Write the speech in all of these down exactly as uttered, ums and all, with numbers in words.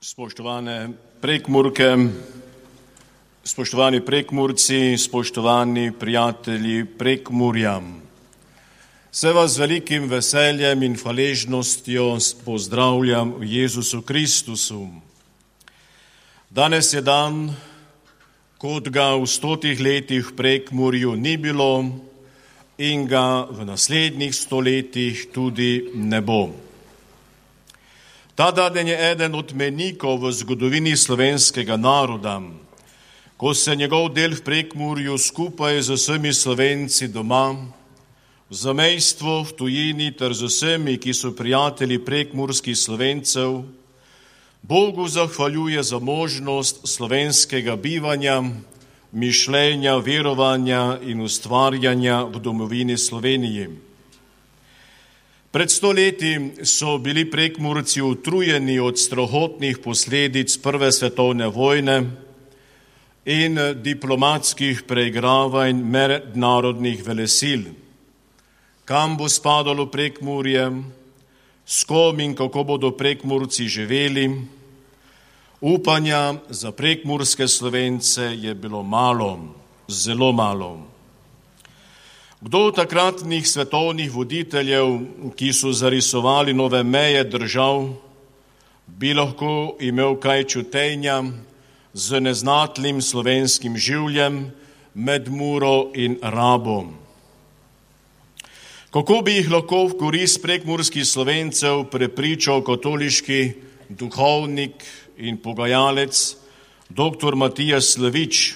Spoštovane Prekmurke, spoštovani Prekmurci, spoštovani prijatelji Prekmurja. Se vas z velikim veseljem in hvaležnostjo pozdravljam v Jezusu Kristusu. Danes je dan, kot ga v stotih letih v Prekmurju ni bilo in ga v naslednjih stoletjih tudi ne bo. Ta dan je eden od mejnikov v zgodovini slovenskega naroda, ko se njegov del v Prekmurju skupaj z vsemi Slovenci doma, v zamejstvu, v tujini ter z vsemi, ki so prijatelji prekmurskih Slovencev, Bogu zahvaljuje za možnost slovenskega bivanja, mišljenja, verovanja in ustvarjanja v domovini Sloveniji. Pred sto leti so bili Prekmurci utrujeni od strahotnih posledic Prve svetovne vojne in diplomatskih preigravanj mednarodnih velesil. Kam bo spadalo Prekmurje, s kom in kako bodo Prekmurci živeli? Upanja za prekmurske Slovence je bilo malo, zelo malo. Kdo od takratnih svetovnih voditeljev, ki so zarisovali nove meje držav, bi lahko imel kaj čutenja z neznatnim slovenskim življem med Muro in Rabo? Kako bi jih lahko v korist prekmurskih Slovencev prepričal katoliški duhovnik in pogajalec doktor Matija Slavič,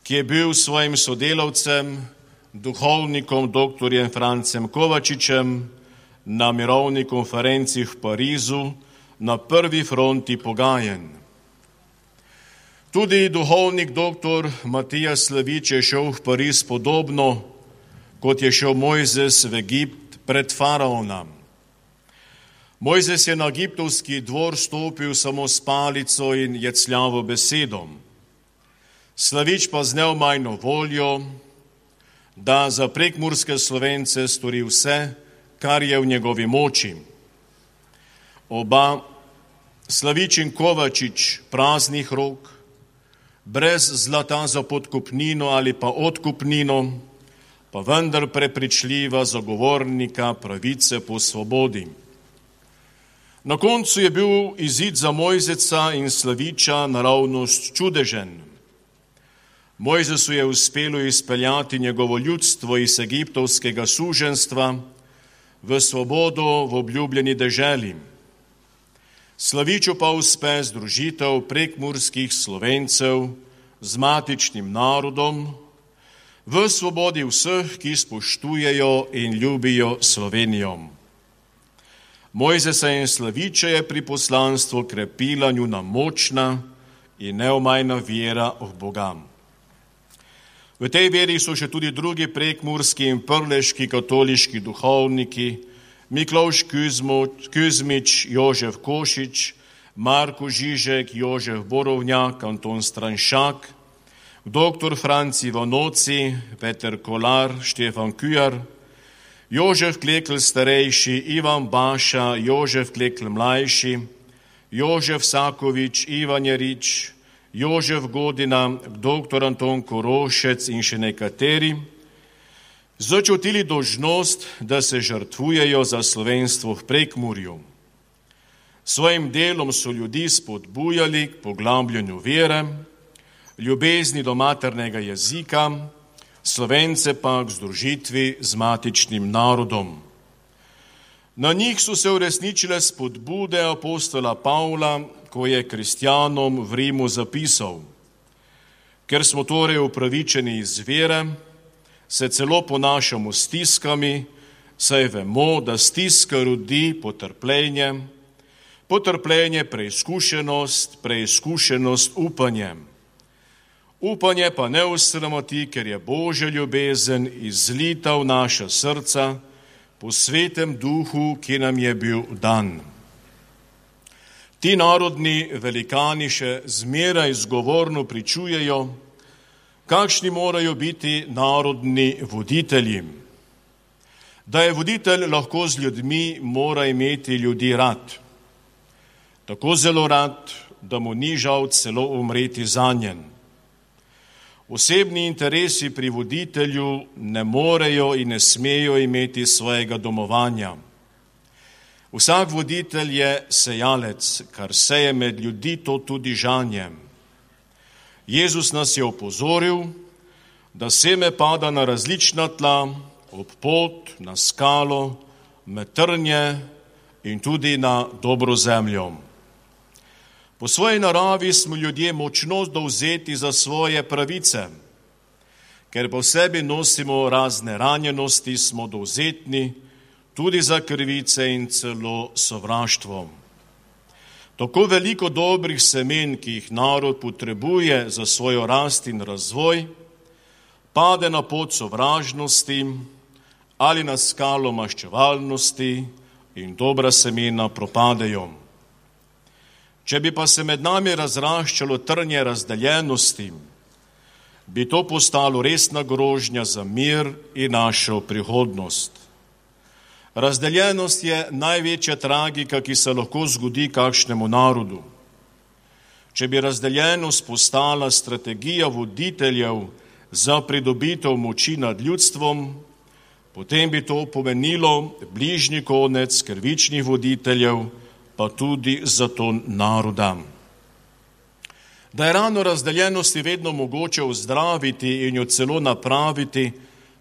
ki je bil svojim sodelavcem, duhovnikom doktorjem Francem Kovačičem na mirovni konferenci v Parizu na prvi fronti pogajanj. Tudi duhovnik doktor Matija Slavič je šel v Pariz podobno, kot je šel Mojzes v Egipt pred faraona. Mojzes je na egiptovski dvor stopil samo s palico in jecljavo besedo. Slavič pa z neomajno voljo, da za prekmurske Slovence stori vse, kar je v njegovi moči. Oba, Slavič in Kovačič, praznih rok, brez zlata za podkupnino ali pa odkupnino, pa vendar prepričljiva zagovornika pravice po svobodi. Na koncu je bil izid za Mojzeca in Slaviča naravnost čudežen. Mojzesu je uspelo izpeljati njegovo ljudstvo iz egiptovskega suženstva v svobodo v obljubljeni deželi. Slaviču pa uspe združitev prekmurskih Slovencev z matičnim narodom v svobodi vseh, ki spoštujejo in ljubijo Slovenijo. Mojzesa in Slaviča je pri poslanstvu krepila njuna močna in neomajna vera v Boga. V tej veri so še tudi drugi prekmurski in prleški katoliški duhovniki, Miklavž Kuzmič, Jožef Košič, Marko Žižek, Jožef Borovnjak, Anton Stranšak, doktor Franci Vanoci, Peter Kolar, Štefan Kujar, Jožef Klekl starejši, Ivan Baša, Jožef Klekl mlajši, Jožef Sakovič, Ivan Jarič, Jožef Godina, doktor Anton Korošec in še nekateri, začutili dolžnost, da se žrtvujejo za slovenstvo v Prekmurju. Svojim delom so ljudi spodbujali k poglabljanju vere, ljubezni do maternega jezika, Slovence pa k združitvi z matičnim narodom. Na njih so se uresničile spodbude apostola Pavla, ko je kristjanom v Rimu zapisal: Ker smo torej upravičeni iz vere, se celo ponašamo s stiskami, saj vemo, da stiska rodi potrpljenje, potrpljenje preizkušenost, preizkušenost upanje. Upanje pa ne osramoti, ker je Božja ljubezen izlita v naša srca po svetem duhu, ki nam je bil dan. Ti narodni velikani še zmeraj zgovorno pričujejo, kakšni morajo biti narodni voditelji. Da je voditelj lahko z ljudmi, mora imeti ljudi rad. tako zelo rad, da mu ni žal celo umreti zanjen. Osebni interesi pri voditelju ne morejo in ne smejo imeti svojega domovanja. Vsak voditelj je sejalec, kar seje med ljudi, to tudi žanje. Jezus nas je opozoril, da seme pada na različna tla, ob pot, na skalo, med trnje in tudi na dobro zemljo. Po svoji naravi smo ljudje močno dovzeti za svoje pravice, ker po sebi nosimo razne ranjenosti, smo dovzetni tudi za krivice in celo sovraštvo. Tako veliko dobrih semen, ki jih narod potrebuje za svojo rast in razvoj, pade na pot sovražnosti ali na skalo maščevalnosti in dobra semena propadejo. Če bi pa se med nami razraščalo trnje razdeljenosti, bi to postalo resna grožnja za mir in našo prihodnost. Razdeljenost je največja tragika, ki se lahko zgodi kakšnemu narodu. Če bi razdeljenost postala strategija voditeljev za pridobitev moči nad ljudstvom, potem bi to pomenilo bližnji konec krivičnih voditeljev, pa tudi za to naroda. Da je rano razdeljenosti vedno mogoče ozdraviti in jo celo napraviti,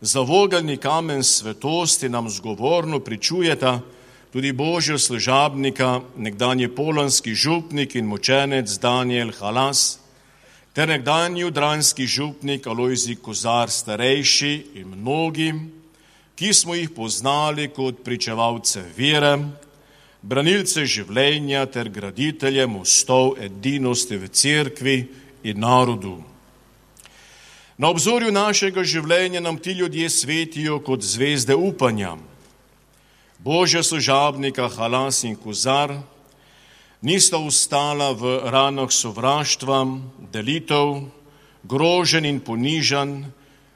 za vogelni kamen svetosti nam zgovorno pričujeta tudi Božja služabnika, nekdanji polanski župnik in mučenec Daniel Halas, ter nekdanji judranski župnik Alojzij Kozar starejši in mnogi, ki smo jih poznali kot pričevalce vere, branilce življenja ter graditelje mostov edinosti v cerkvi in narodu. Na obzorju našega življenja nam ti ljudje svetijo kot zvezde upanja. Božja služabnika Halas in Kozar nista ostala v ranah sovraštva, delitev, groženj in ponižanj,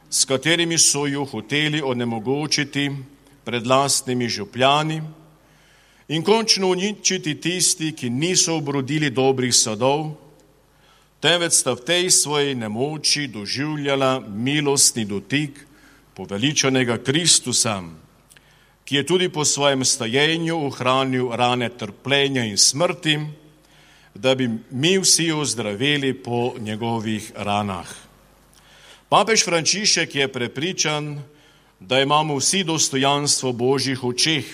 s katerimi so jo hoteli onemogočiti pred lastnimi župljani in končno uničiti tisti, ki niso obrodili dobrih sadov, temveč sta v tej svoji nemoči doživljala milostni dotik poveličanega Kristusa, ki je tudi po svojem stajenju ohranil rane trpljenja in smrti, da bi mi vsi ozdraveli po njegovih ranah. Papež Frančišek je prepričan, da imamo vsi dostojanstvo Božjih očeh.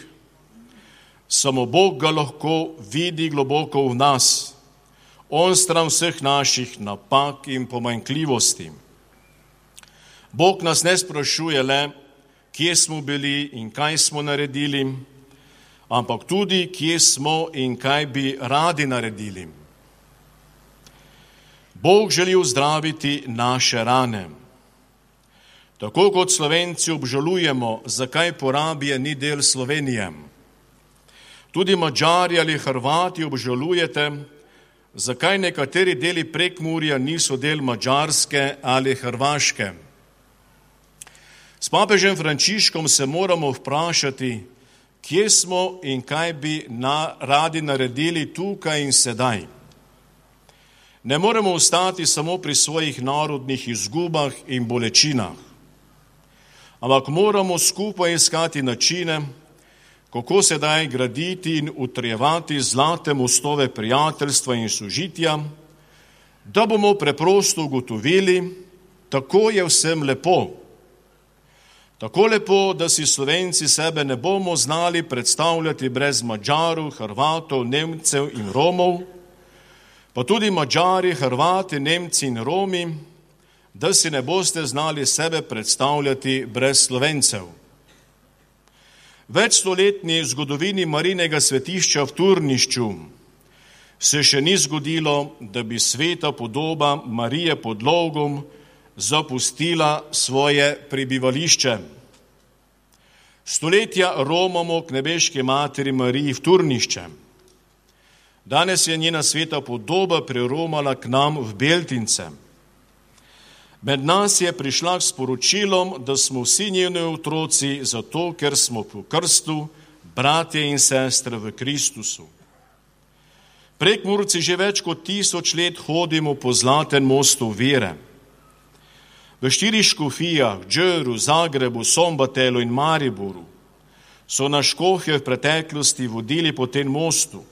Samo Bog ga lahko vidi globoko v nas, on stran vseh naših napak in pomanjkljivosti. Bog nas ne sprašuje le, kje smo bili in kaj smo naredili, ampak tudi, kje smo in kaj bi radi naredili. Bog želi ozdraviti naše rane. Tako kot Slovenci obžalujemo, zakaj Porabija ni del Slovenije. Tudi Madžari ali Hrvati obžalujete, zakaj nekateri deli Prekmurja niso del Madžarske ali Hrvaške. S papežem Frančiškom se moramo vprašati, kje smo in kaj bi na, radi naredili tukaj in sedaj. Ne moremo ostati samo pri svojih narodnih izgubah in bolečinah, ampak moramo skupaj iskati načine, kako sedaj graditi in utrjevati zlate mostove prijateljstva in sožitja, da bomo preprosto ugotovili, tako je vsem lepo. Tako lepo, da si Slovenci sebe ne bomo znali predstavljati brez Madžarov, Hrvatov, Nemcev in Romov, pa tudi Madžari, Hrvati, Nemci in Romi, da si ne boste znali sebe predstavljati brez Slovencev. Večstoletni zgodovini Marijinega svetišča v Turnišču se še ni zgodilo, da bi sveta podoba Marije pod Logom zapustila svoje prebivališče. Stoletja romamo k nebeški materi Mariji v Turnišče. Danes je njena sveta podoba preromala k nam v Beltince. Med nas je prišla s sporočilom, da smo vsi njeni otroci zato, ker smo po krstu bratje in sestre v Kristusu. Prekmurci že več kot tisoč let hodimo po zlatem mostu vere. V štirih škofijah, Džeru, Zagrebu, Sombatelu in Mariboru so nas škofje v preteklosti vodili po tem mostu.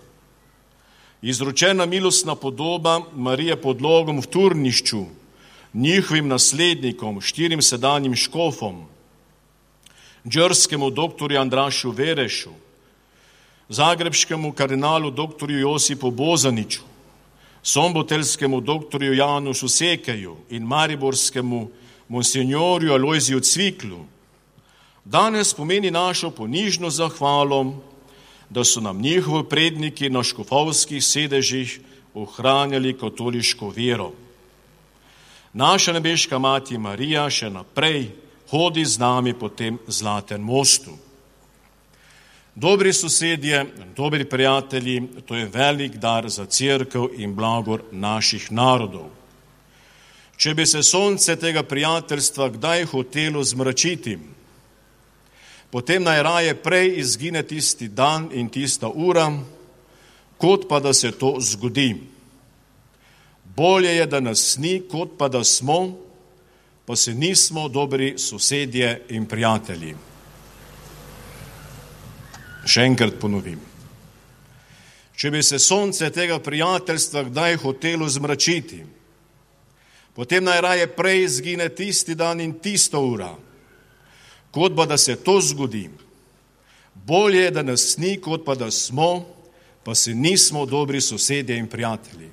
Izročena milostna podoba Marije pod Logom v Turnišču, njihovim naslednikom, štirim sedanjim škofom, džerskemu doktorju Andrašu Verešu, zagrebškemu kardinalu doktorju Josipu Bozaniču, sombotelskemu doktorju Janušu Sekeju in mariborskemu monsenjorju Alojziju Cviklu, danes pomeni našo ponižno zahvalo, da so nam njihovi predniki na škofovskih sedežih ohranjali katoliško vero. Naša nebeška mati Marija še naprej hodi z nami po tem zlatem mostu. Dobri sosedje, dobri prijatelji, to je velik dar za cerkev in blagor naših narodov. Če bi se sonce tega prijateljstva kdaj hotelo zmračiti, potem naj raje prej izgine tisti dan in tista ura, kot pa da se to zgodi. Bolje je, da nas ni, kot pa da smo, pa se nismo dobri sosedje in prijatelji. Še enkrat ponovim. Če bi se sonce tega prijateljstva kdaj hotelo zmračiti, potem naj raje prej izgine tisti dan in tista ura, kot pa da se to zgodi. Bolje je, da nas ni, kot pa da smo, pa se nismo dobri sosedje in prijatelji.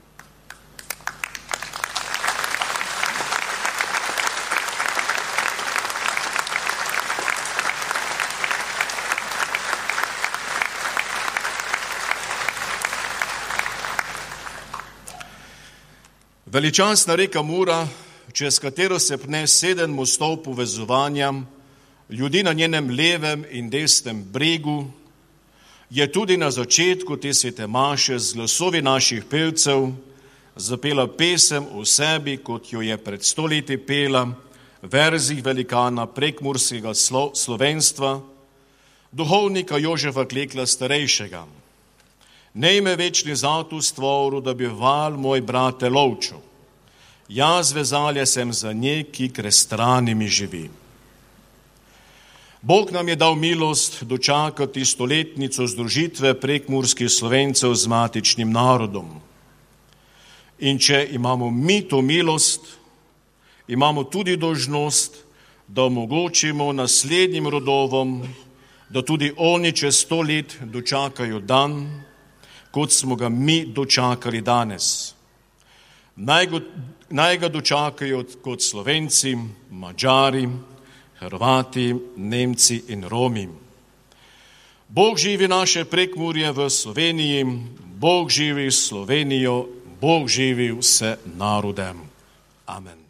Veličastna reka Mura, čez katero se pne sedem mostov povezovanja, ljudi na njenem levem in desnem bregu, je tudi na začetku te svete maše z glasovi naših pevcev zapela pesem o sebi, kot jo je pred sto leti pela v verzih velikana prekmurskega slo, slovenstva, duhovnika Jožefa Klekla starejšega. Nej me večni zatu stvoru, da bi val moj brate lovčo. Jaz vezalje sem za nje, ki krestrani mi živi. Bog nam je dal milost dočakati stoletnico združitve prekmurskih Slovencev z matičnim narodom. In če imamo mi to milost, imamo tudi dolžnost, da omogočimo naslednjim rodovom, da tudi oni čez sto let dočakajo dan, kot smo ga mi dočakali danes. Naj, go, naj ga dočakajo kot Slovenci, Madžari, Hrvati, Nemci in Romi. Bog živi naše Prekmurje v Sloveniji, Bog živi Slovenijo, Bog živi vse narode. Amen.